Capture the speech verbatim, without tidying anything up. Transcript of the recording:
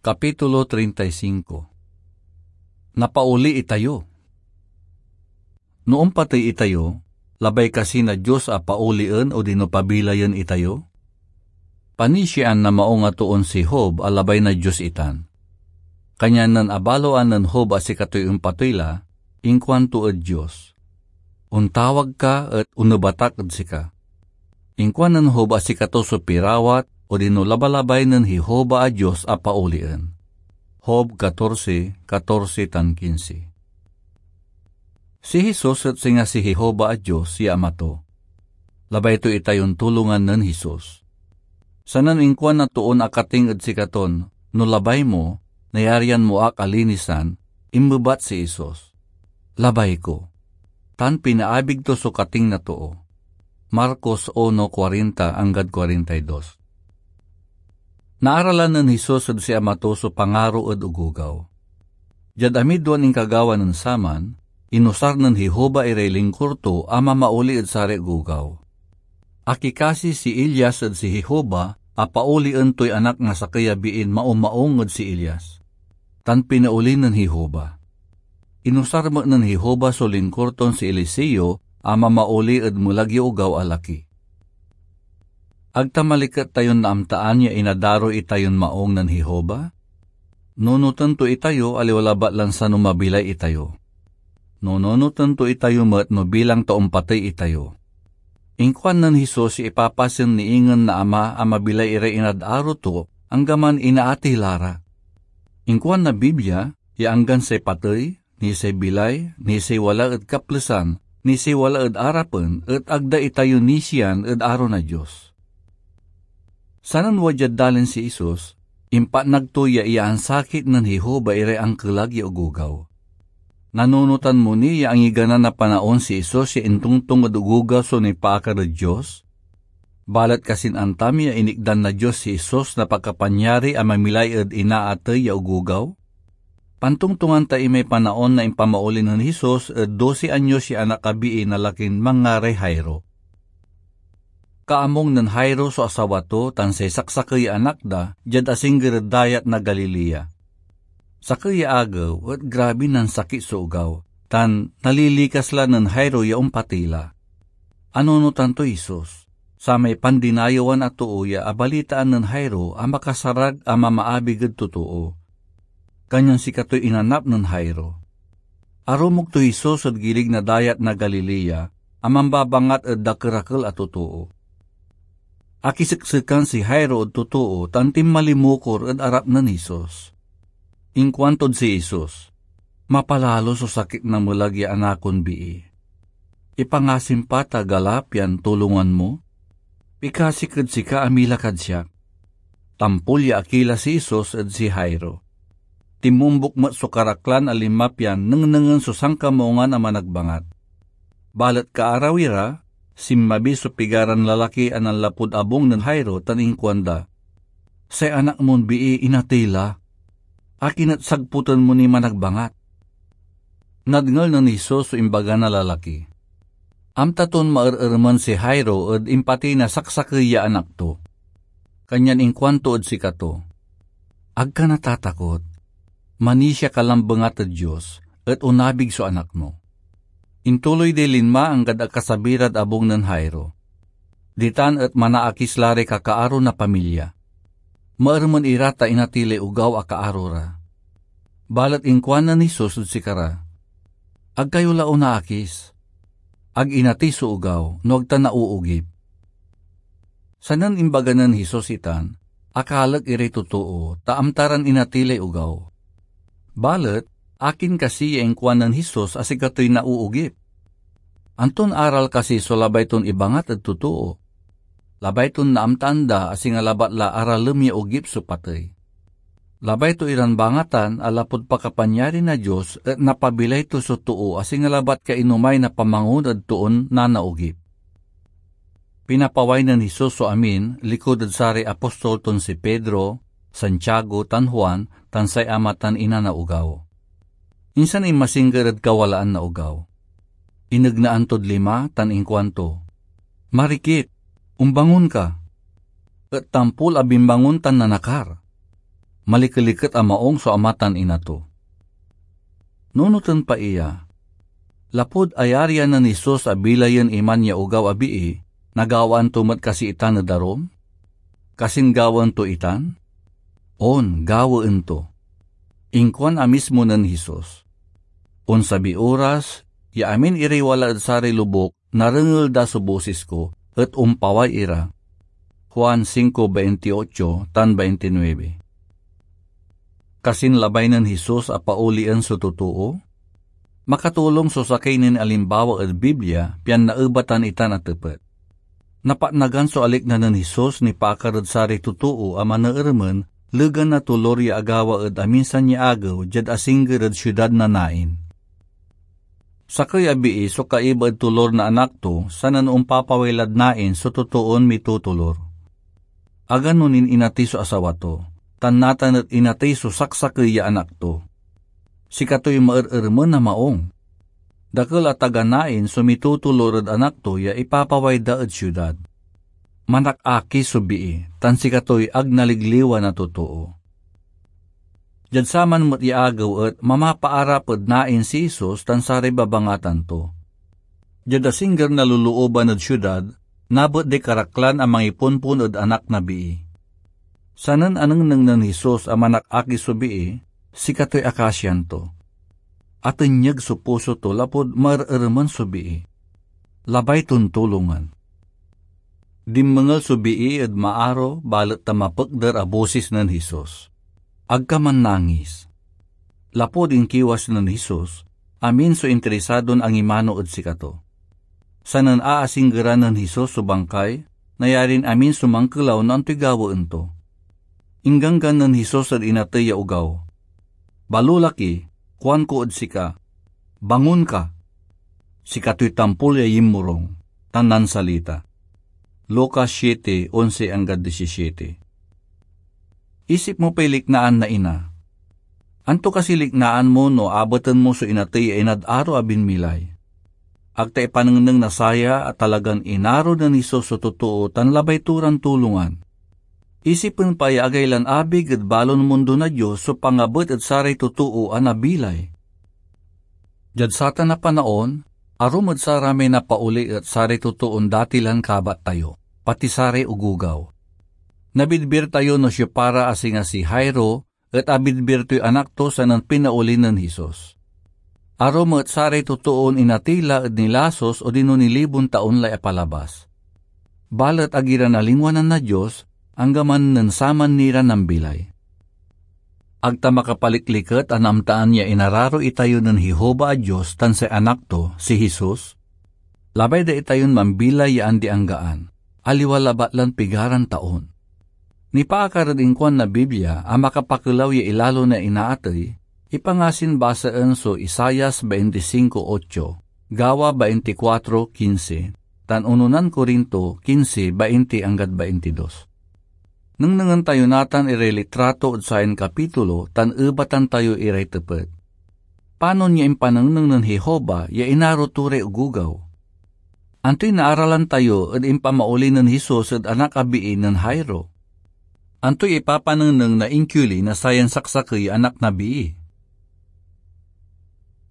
Kapitulo treinta y cinco. Napaoli itayo. No ompatey itayo, labay kasi na Dios a paolien odino pabilayen itayo? Panisiaan na maung a toon si Job a labay na Dios itan. Kanyan nen abaloan nen Job a sikatoy ompatey la, inkuanto ed Dios, "Ontawag ka et onebat ak ed sika." Inkuan nen Job a sikato so pirawat odino labalabay nen Jehovah a Dios a paolien. Job catorce, catorce tan quince. Si Jesus et singa si Jehovah a Dios ya Ama to. Labay to itayon tulongan nen Jesus. Sanen inkuan na toon akating ed sikaton, "No labay mo, nayarian mo ak a linisan," inmebat si Jesus, "Labay ko." Tan pinaabig to so kating na too. Marcos uno cuarenta anggad cuarenta y dos. Naaralan nen Jesus ed si Ama to so pangaro ed ogogaw. Diad amidwan inkagawa nen saman, inusar nen Jehovah iray lingkor to a mamaoli ed saray ogogaw. Akikasi si Elias ed si Jehovah a paolien toy anak na sakey a biin maumaung ed si Elias, tan pinaoli nen Jehovah. Inusar met nen Jehovah so lingkor ton si Eliseo a mamaoli ed melag ya ogaw a laki. Ag ta maliket tayon naamtaan ya inadaro itayon maung nen Jehovah? Nunoten to itayo, aliwa labat lan sano mabilay itayo. Nununoten to itayo met no bilang ta ompatey itayo. Inkuan nen Jesus ya ipapasen ni ingen na Ama a mabilay iray inad-aro to, anggaman inaatey la ra. Inkuan na Biblia ya anggan say patey, ni say bilay, ni say wala ed kaplesan, ni say wala ed arapen, et ag da itayo nisian ed aro na Dios. Sanen wadyad dalin si Jesus, impatnag to ya iyaansakit nen Jehovah iray ankelag ya ogogaw. Nanunotan mo ni ya angigana na panaon si Jesus ya intongtong ed ogogaw so nipaakar ed Dios? Balet kasin antam ya inikdan na Dios si Jesus na pakapanyari a mamilay ed inaatey ya ogogaw? Pantongtongan ta imay panaon na impamaoli nen Jesus ed doce anyos ya anak a bii na lakin manngaray Jairo. Kaamong nen Jairo so asawa to tan say saksakey ya anak da diad asingger ed Dayat na Galilea. Sakey ya agew et grabi nansakit so ogaw, tan nalilikas la nen Jairo ya ompatey la. Anunotan toy Jesus, samay pandinayewan a too ya abalitaan nen Jairo a makasarag a mamaabig ed totoo. Kanyan sikatoy inanap nen Jairo. Arumog toy Jesus ed gilig na Dayat na Galilea a mambabangat ed dakerakel a totoo. Akiseksekan si Jairo ed totoo tan tinmalimukor ed arap nen Jesus. Inkuantod si Jesus, "Mapalalo so sakit na melag ya anakon bii. Ipangasim pa ta gala pian tulongan mo? Pikasik ed sika a mila kad siak." Tampol ya akila si Jesus ed si Jairo. Tinmombok met so karaklan a linma pian nengnengen so sankamaungan a managbangat. Balet kaarawi ra, sinmabi so pigaran lalaki a nanlapud abung nen Jairo tan inkuanda, "Say anak mon bii inatey la. Akin et sagpoten mo ni managbangat?" Nadngel nen Jesus so imbaga na lalaki. Amta ton maerermen si Jairo ed impatey na saksakey ya anak to. Kanyan inkuanto ed sikato, "Ag ka natatakot. Manisia ka lan bengat ed Dios, et onabig so anak mo." Intuloy day linma anggad akasabi rad abung nen Jairo. Ditan et manaakis la ray kakaaro na pamilya. Maermen ira ta inatey lay ogaw a kaaro ra. Balet inkuanen Jesus ed sikara, "Ag kayo la onaakis. Ag inatey so ogaw, no ag ta nauugip." Sanen imbaga nen Jesus itan, akalek iray totoo, ta amta ran inatey lay ogaw. Balet akin kasi ya inkuan nen Jesus a sikatoy nauugip? Anton aral kasi so labay ton ibangat ed totoo? Labay ton naamtaan da a singa labat la aralem ya ogip so patey. Labay to iran bangatan a lapud pakapanyari na Dios et napabilay to so too a singa labat kainomay na pamangon ed toon nanaogip. Pinapaway nen Jesus so amin likud ed saray apostol ton si Pedro, Santiago, tan Juan, tan say ama tan ina na ogaw. Insan inmasingger ed kawalaan na ogaw. Inegnaan tod lima tan inkuanto, "Marikit, ombangon ka!" Et tampol a binmangon tan nanakar. malikeliket a maung so ama tan ina to. Nunoten pa iya, lapud ayarian nen Jesus a bilayen iman ya ogaw a bii, nagawaan to met kasi itan ed arum? Kasin gawaen to itan? On, gawaen to. Inkuan a mismo nen Jesus, "Onsabiy oras ya amin iray wala ed saray lobuk narengel da so bosis ko, et ompaway ira." Juan cinco veintiocho tan veintinueve. Kasin labay nen Jesus a paolien so totoo? Makatulong so sakey nin alimbawa ed Biblia pian naebatan itan a tepet. Napatnagan so alikna nen Jesus nipaakar ed saray totoo a maneeremen legan na tolor ya agawa ed aminsan ya agew diad asingger ed siudad na Nain. Sakey a bii so kaiba ed tolor na anak to, sanen ompapaway lad Nain so totoon mitotolor. Agano nin inatey so asawa to, tan natan et inatey so saksakey ya anak to. Sikatoy maerermen a maung. Dakel a taga Nain so mitotolor ed anak to ya ipapaway da ed siudad. Manakakis so bii, tan sikatoy ag naligliwan a totoo. Diad saman met ya agew et mamapaarap ed Nain si Jesus tan saray babangatan to. Diad asingger na lolooban ed siudad, nabet day karaklan a mangiponpon ed anak na bii. Sanen anengneng nen Jesus a manakakis so bii, sikatoy akasian to. Atenyeg so puso to lapud maermeremen so bii. Labay ton tulongan. Dinmengel so bii ed maaro, balet ta mapekder a bosis nen Jesus, "Ag ka mannangis." Lapud inkiwas nen Jesus, amin so intrisadon angimano ed sikato. Sanen aasinggeran nen Jesus so bangkay, nayarin amin so mankelaw no antoy gawaen to. Ingganggan nen Jesus ed inatey ya ogaw, "Balolaki, kuanko ed sika, bangon ka!" Sikatoy tampol ya yinmorung tan nansalita. Lucas siete onse anggad disisiete. Isip mo pay liknaan na ina. Anto kasi liknaan mo no abeten mo so inatey ya inad aro a binmilay? Ag ta ipanengneng na saya a talagan inaro nen Jesus so totoo tan labay to ran tulongan. Isipen pa ya agay lan abig ed balon mundo na Dios so pangabet ed saray totoo a nabilay. Diad satan a panaon, arum ed saramay napaoli et saray totoon dati lan kabat tayo, pati saray ogogaw. Nabidbir tayo no siopara a singa si Jairo et abidbir toy anak to sanen pinaoli nen Jesus. Arum et saray totoon inatey la ed nilasus odino nilibon taon lay apalabas. Balet ag ira nalingwanan na Dios, anggaman nen saman ni ra nambilay. Ag ta makapalikliket a naamtaan ya inararo itayo nen Jehovah a Dios tan say Anak to, si Jesus? Labay da itayon mambilay ya andi-anggaan, aliwa labat lan pigaran taon. Nipaakar ed inkuan na Biblia a makapakelaw ya ilalo na inaatey, ipangasin basaen so Isaias veinticinco ocho, Gawa veinticuatro quince, tan unonan Corinto quince veinte anggad veintidos. Nengnengen tayo natan iray litrato ed sayan kapitulo tan ebatan tayo iray tepet. Panon ya impanengneng nen Jehovah ya inaro to ray ogogaw? Antoy naaralan tayo ed impamaoli nen Jesus ed anak a bii nen Jairo? Antoy ipapanengneng na inkioli na sayan saksakey ya anak na bii?